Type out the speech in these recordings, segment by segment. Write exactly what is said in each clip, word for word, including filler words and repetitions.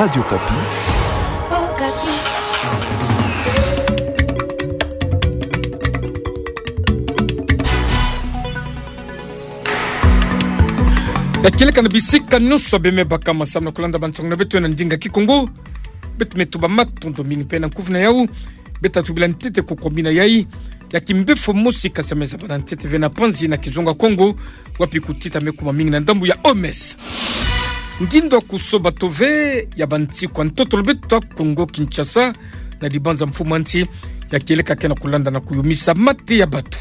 Radio Okapi. Ya kieleka na bisika nyonso beme baka, samu na kulanda bansango na beto na ndinga Kikongo. Beto me tuba matondo mingi mpe na kuvuna yau. Beto tubila ntete kukwamina yai ya kimbefo mosi kasameza bana ntete ve na panzi na kizunga Kongo, wapi kutita me kuma mingi na ndambu ya O M S. Ngindo kusoba tove ya bansiku ya ntoto na beto Kongo Kinshasa, na dibanza mfumu a nsi, ya kieleka ke na kulanda na kuyumisa mate ya bato.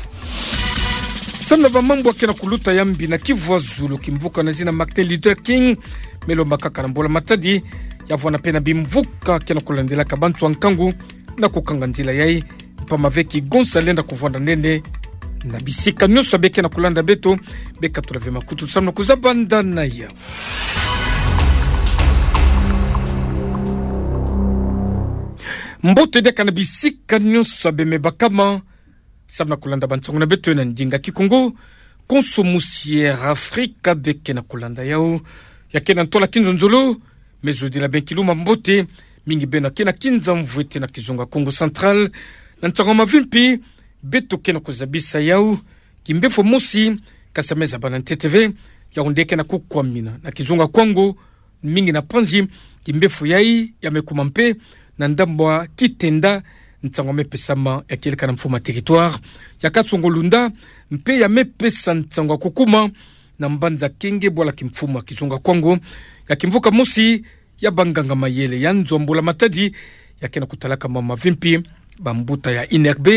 Samu na bamambu ke na kuluta ya mbi na Kivu ya Zulu, kimvuka na zina Martin Luther King me lomba kaka na mbula matadi, ya vwanda mpe na bimvuka ke na kulandelaka bantu ya nkangu na kukanga nzila yai, mpamba ve kigonsa lenda kuvwanda nene na bisika nyonso. Be ke na kulanda beto, be katula ve makutu samu na kuzabanda na yau. Mbote diaka na bisika nyonso beme bakama, samu na kulanda bansango na beto na ndinga Kikongo. Konso musi Air Afrika be ke na kulanda yau, ya ke na ntwala kinzonzolo, me zodila beno kiluma mbote, mingi beno ke na kinza mvwete na kizunga Kongo Central, na nsango ya mavimpi beto ke na kuzabisa yau. Kimbefo mosi kasameza bana ntete ve, yau nde ke na kukwamina na kizunga Kongo, mingi na panzi, kimbefo yai ya me kuma mpe na ndambu ya Kitenda, nsango ya me pesama ya kieleka na mfumu a territoire ya Kasongo-Lunda, mpe ya me pesa nsango ya kukuma na mbanza Kenge, bwala kimfumu ya kizunga Kongo, ya kimvuka mosi ya banganga mayele ya nzo ya mbula matadi, ya ke na kutalaka mambu mavimpi. Bambuta ya INRB,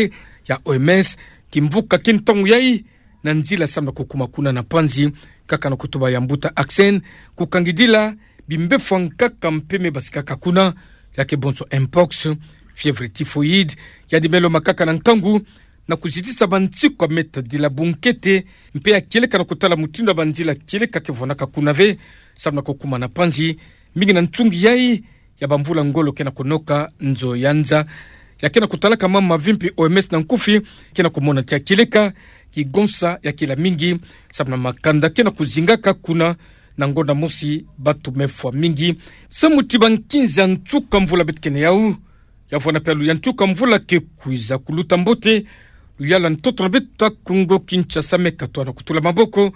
ya O M S, kimvuka ki ntangu yai na nzila samu na kukuma kuna na panzi, kaka na kutuba ya mbuta Axen, kukangidila bimbefo ya nkaka mpe me basikaka kuna, ya ke bonso mpox, fièvre typhoïde, yandi me lomba kaka na nkangu na kuzitisa bansiku ya me tadila bunkete, mpe ya kieleka na kutala mutindu ya banzila kieleka ke vwandaka kuna ve, samu na kukuma na panzi, mingi na nsungi yai ya bamvula ngolo ke na kunoka nzo ya nza. Ya ke na kutalaka mambu mavimpi, O M S na nkufi, ke na kumona ti ya kieleka kigonsa ya kila mingi, samu na makanda ke na kuzingaka kuna, na ngonda mosi bato me fwa mingi samu ti bankinzi ya nsuka mvula beto ke na yau. Ya vwanda mpe ya luyalu ya nsuka mvula ke kwiza kuluta mbote, luyalu ya ntoto na beto Kongo Kinshasa me katwa na kutula maboko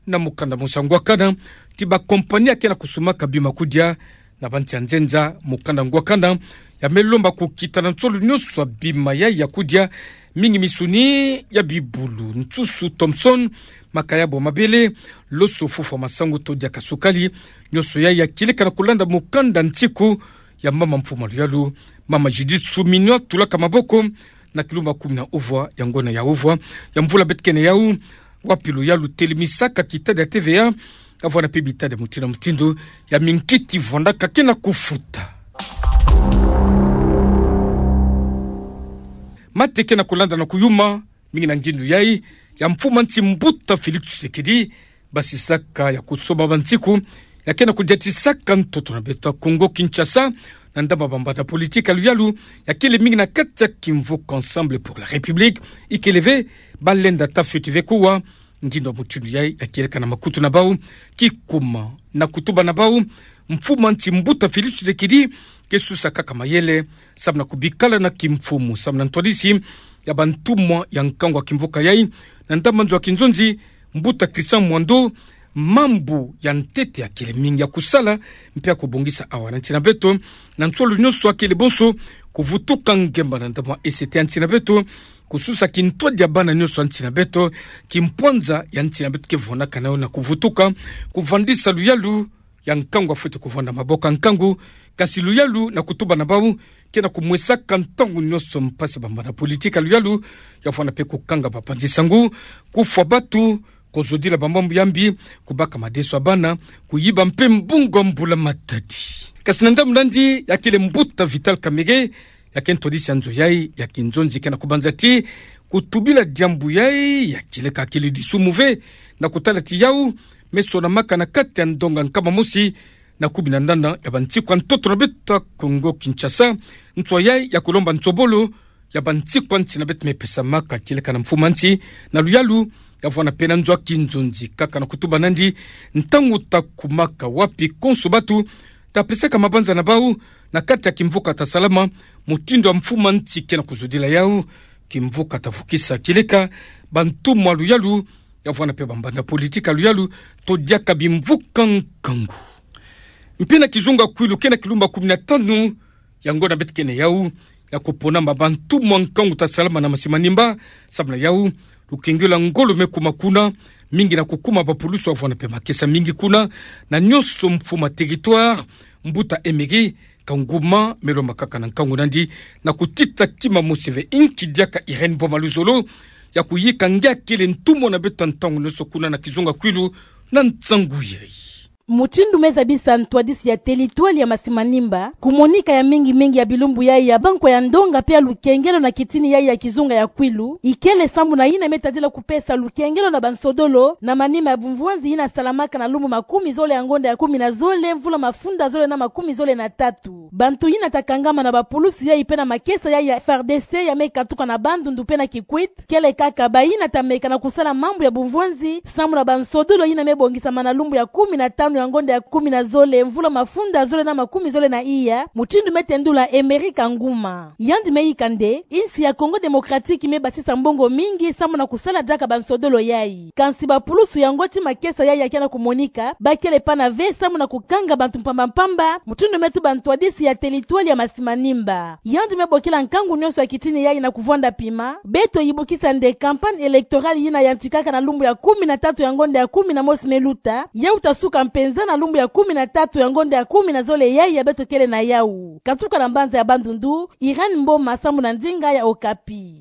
na mukanda mosi ya ngwakana ti bakompani ya ke na kusumaka bima kudia na bansi ya nzenza. Mukanda ngwakana ya me lomba kukita na nsolo nyonso ya bima yai ya kudia, mingi misuni ya bibulu, nsusu, Thomson, makayabo ya mabele, loso, fufu ya masangu to diaka sukali. Nyonso yai ya kieleka na kulanda mukanda nsiku ya mama mfumu a luyalu, mama Judith Suminwa, tulaka maboko na kilumbu kumi na uvwa ya ngonda ya uvwa ya mvula beto ke na yau, wapi luyalu telemisaka kitada ya T V A, ya vwanda mpe bitada mutindu na mutindu ya minkiti vwandaka ke na kufuta. Mate ke na kulanda na kuyuma, mingi na ngindu yai ya mfumu a nsi mbuta Félix Tshisekedi, basisaka ya kusoba bansiku ya ke na kudiatisaka ntoto na beto Kongo Kinshasa, na ndambu ya bambanda politiki ya luyalu ya kele mingi na kati ya kimvuka Ensemble pour la République, ikele ve balenda tafeti ve kuwa. Ngindu ya mutindu yai ya kieleka na makutu na bau, kikuma na kutuba na bau, mfumu a nsi mbuta Félix Tshisekedi ke susa kaka mayele samu na kubikala na kimfumu, samu na ntwadisi ya bantumwa ya nkangu ya kimvuka yai, na ndambu ya nzo ya kinzonzi, mbuta Christian Mwando, mambu ya ntete ya kele mingi ya kusala mpe ya kubongisa awa na nsi na beto. Na nsolo nyonso ya kele bonso kuvutuka ngemba na ndambu ya E C T ya nsi na beto, kususa kintwadi ya bana nyonso ya nsi na beto, kimpwanza ya nsi na beto ke vwandaka na yo na kuvutuka, kuvandisa luyalu ya nkangu ya fweti kuvwanda maboko ya nkangu. Kasi luyalu na kutuba na bau ke na kumwesaka ntangu nyonso mpasi bambanda politiki ya luyalu ya vwanda mpe kukanga bapanzi sangu, kufwa bato, kozodila bamambu ya mbi, kubaka madeso ya bana, kuyiba mpe mbongo ya mbula matadi. Kasi na ndambu nandi ya kele mbuta Vital Kamerhe, ya ke ntwadisi ya nzo yai ya kinzonzi, ke na kubanza ti kutubila diambu yai ya kieleka kele disumu ve, na kutala ti yau me sonamaka na kati ya ndonga nkama mosi na kumi na nana ya bansiku ya ntoto na beto Kongo Kinshasa, nswa yai ya kulomba nsobolo ya bansiku ya nsi na beto me pesamaka kieleka na mfumu a nsi, na luyalu ya vwanda mpe na nzo ya kinzonzi, kaka na kutuba nandi, ntangu ta kumaka wapi konso bato ta pesaka mabanza na bau na kati ya kimvuka ta salama, mutindu ya mfuma nsi ke na kuzudila yau. Kimvuka ta vukisa kileka bantumwa luyalu, ya vwanda mpe bambanza politiki ya luyalu, to diaka bimvuka nkangu. Mpe na kizunga Kwilu ke na kilumbu ya kumi na tanu ya ngonda beto ke na yau, ya kupona mabantumwa nkangu ta salama na Masi Manimba. Samu na yau, lukengelo ya ngolo me kuma kuna, mingi na kukuma bapulusu ya vwanda mpe makesa mingi kuna, na nionso mfuma territoire. Mbuta Emery Kanguma me lomba kaka na nkangu nandi na kutita kima mosi ve, inki diaka Irène Mboma Luzolo, ya kuyika nge akele ntumwa na beto ntangu nionso kuna na kizunga Kwilu na nsangu yai. Mutindu me zabisa ntwadisi ya territoire ya Masi Manimba, kumonika ya mingi mingi ya bilumbu yai ya bankwa ya ndonga mpe ya lukengelo na kitini yai ya kizunga ya Kwilu, ikele sambu na yina me tadila kupesa lukengelo na bansodolo na manima ya bumvwanzi yina salamaka na lumbu makumi zole ya ngonda ya kumi na zole, mvula mafunda zole na makumi zole na tatu. Bantu yina ta kangama na bapulusu yai mpe na makesa yai ya F R D C ya me katuka na Bandundu mpe na Kikwit, kele kaka bayina ta meka na kusala mambu ya bumvwanzi samu na bansodolo yina me bongisama na lumbu ya kumi na tanu ya ngonda ya kumi na zole, mvula mafunda zole na makumi zole na iya, mutindu me tendula Emery Kanguma. Yandi me yika nde, insi ya Congo Démocratique me basisa mbongo mingi samu na kusala diaka bansodolo yai. Kansi bapulusu yango ti makesa yai ya ke na kumonika, bakele pana ve samu na kukanga bantu mpamba mpamba, mutindu me tuba ntwadisi ya territoire ya Masi Manimba. Yandi me bokila nkangu nionso ya kitini yai na kuvwanda pima, beto yibukisa nde campagne électorale yina yantikaka na lumbu ya kumi na tatu ya ngonda ya kumi na mosi me luta, yau ta suka mpenza na lumbu ya kumi na tatu ya ngonda ya kumi na zole yai ya beto kele na yau. Katuka na mbanza ya Bandundu, Irène Mboma samu na ndinga ya Okapi.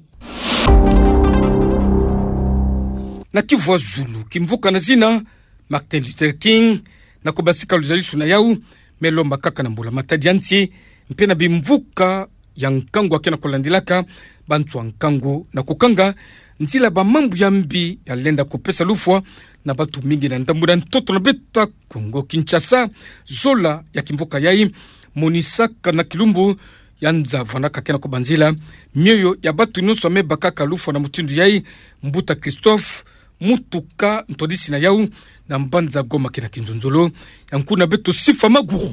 Na Kivu ya zulu, kimvuka na zina Martin Luther King, na kubasika luzalisu na yau, me lomba kaka na mbula matadi ya nsi, mpe na bimvuka ya nkangu ya ke na kulandilaka, bantu ya nkangu na kukanga nzila bamambu ya mbi ya lenda kupesa lufwa na bantu mingi na ndambu na ntoto na beto ya Kongo Kinshasa. Zola ya kimvuka yai monisaka na kilumbu ya nza vwandaka ke na kubanzila mioyo ya bantu nionso ya me bakaka lufwa na mutindu yai. Mbuta Christophe Mutuka, ntwadisi na yau na mbanza Goma ke na kinzonzolo, ya nkuna beto Sifa Maguru.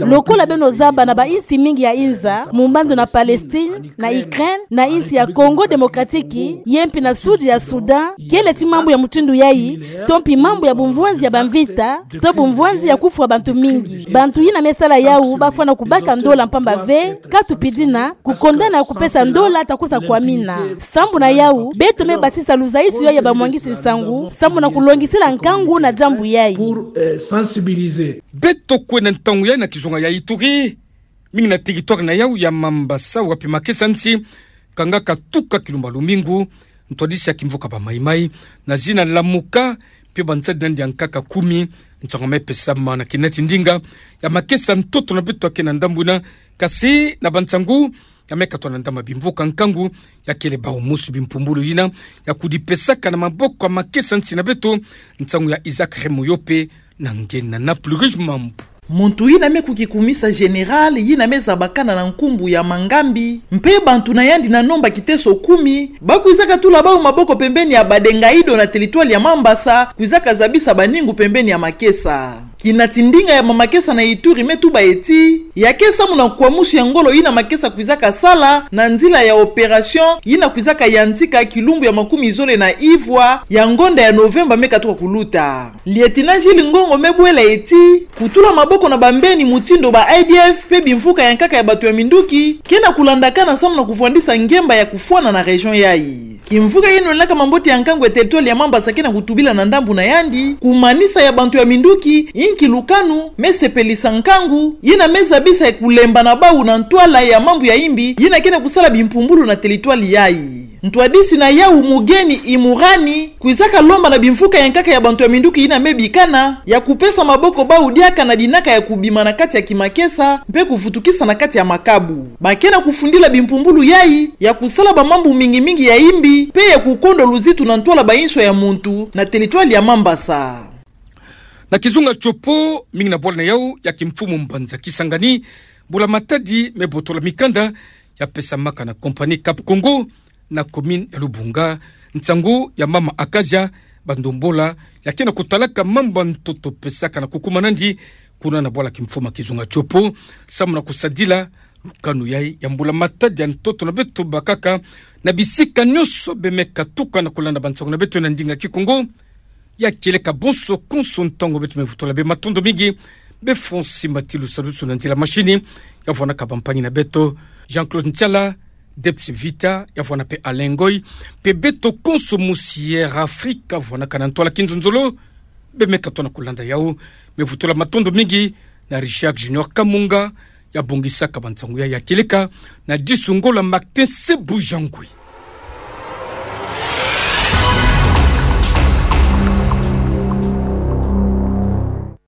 Lokola beno zaba, na bainsi mingi ya inza, mu mbandu na Palestine, na Ukraine, na insi ya Congo Démocratique, ye mpi na sud ya Soudan, kele ti mambu ya mutindu yai, to mpi mambu ya bumvwanzi ya bamvita, to bumvwanzi ya kufwa bantu mingi. Bantu yina me sala yau bafwana kubaka ndola mpamba ve, ka tupidina kukondana ya kupesa ndola ta kusa kwamina. Sambu na yau, beto me basisa luzaisu yai ya bamwangisi nsangu, sambu na kulongisila nkangu na diambu yai. Beto kwenda ntangu yai na kizunga ya Ituri, mingi na territoire na yau ya Mambasa, wapi makesa nsi kangaka tuka kilumbu ya lumingu, ntwadisi ya kimvuka ba Mai-Mai, na zina Lamuka, mpe bansadi nandi ya nkaka kumi, nsangu ya me pesama na kinati ndinga ya makesa ntoto na beto ya ke na ndambu yina, kasi na bansangu ya me katwa na ndambu ya bimvuka nkangu, ya kele bau mosi bimpumbulu yina ya kudipesaka na maboko ya makesa nsi na beto. Nsangu ya Isaac Remoyope na nge na Naples Rouge Mambu. Muntu yina me kukikumisa général yina me zabakana na nkumbu ya Mangambi, mpe bantu na yandi na nomba kiteso kumi, ba kwizaka tula bau maboko pembeni ya Badengaido na territoire ya Mambasa, kwizaka zabisa baningu pembeni ya makesa. Kinati ndinga ya bamakesa na Ituri me tuba ti, ya ke samu na nkwamusu ya ngolo yina makesa kwizaka sala na nzila ya opération yina kwizaka yantika kilumbu ya makumi zole na ivwa ya ngonda ya Novemba me katuka kuluta. Lieutenant Gilles Ngongo me bwela ti, kutula maboko na bambeni mutindu ba A D F mpe bimvuka ya nkaka ya bantu ya minduki, ke na kulandakana samu na kuvwandisa ngemba ya kufwana na région yai. Kimvuka yeno na kamambote ya nkangu ya territoire ya Mambasa ke na kutubila na ndambu na yandi, kumanisa ya bantu ya minduki, inki lukanu me sepelisa nkangu yina me zabisa ya kulemba na bau na ntwala ya mambu ya imbi yina ke na kusala bimpumbulu na territoire yai. Ntwadisi na yau Mugeni Imurani kwizaka lomba na bimvuka ya nkaka ya bantu ya minduki yina me bikana ya kupesa maboko bau diaka na dinaka ya kubima na kati ya kimakesa mpe kuvutukisa na kati ya makabu. Ba ke na kufundila bimpumbulu yai ya kusala bamambu mingi mingi ya imbi mpe ya kukondo luzitu na ntwala bainso ya muntu na territoire ya Mambasa. Na kizunga Tshopo, mingi na bwala na yau ya kimfumu mbanza Kisangani, mbula matadi me botola mikanda ya pesamaka na compagnie Cap Congo na commune ya Lubunga, nsangu ya mama Acacia Bandombola, ya ke na kutalaka mambu ya ntoto pesaka na kukuma nandi kuna na bwala kimfuma kizunga tiopo, samu na kusadila lukanu yai ya mbula matadi ya ntoto na beto bakaka, na bisika nionso be me katuka na kulanda bansango na beto na ndinga Kikongo. Ya kieleka bonso konso ntangu beto me vutula bê matondo mingi, bê Fonsi Matilu Salusu na nzila mashini, ya vwanaka bampangi na beto, Jean-Claude Ntiala, Debs Vita, ya vwana pe Alain Ngoy, pe beto konso mu Sierra Africa, vwanaka na ntwala kinzonzolo, be me katona kulanda yau, me vutula matondo mingi, na Richard Junior Kamunga, ya bongisaka bansango ya, ya kieleka, na disu Ngola Martin Sebujangwe.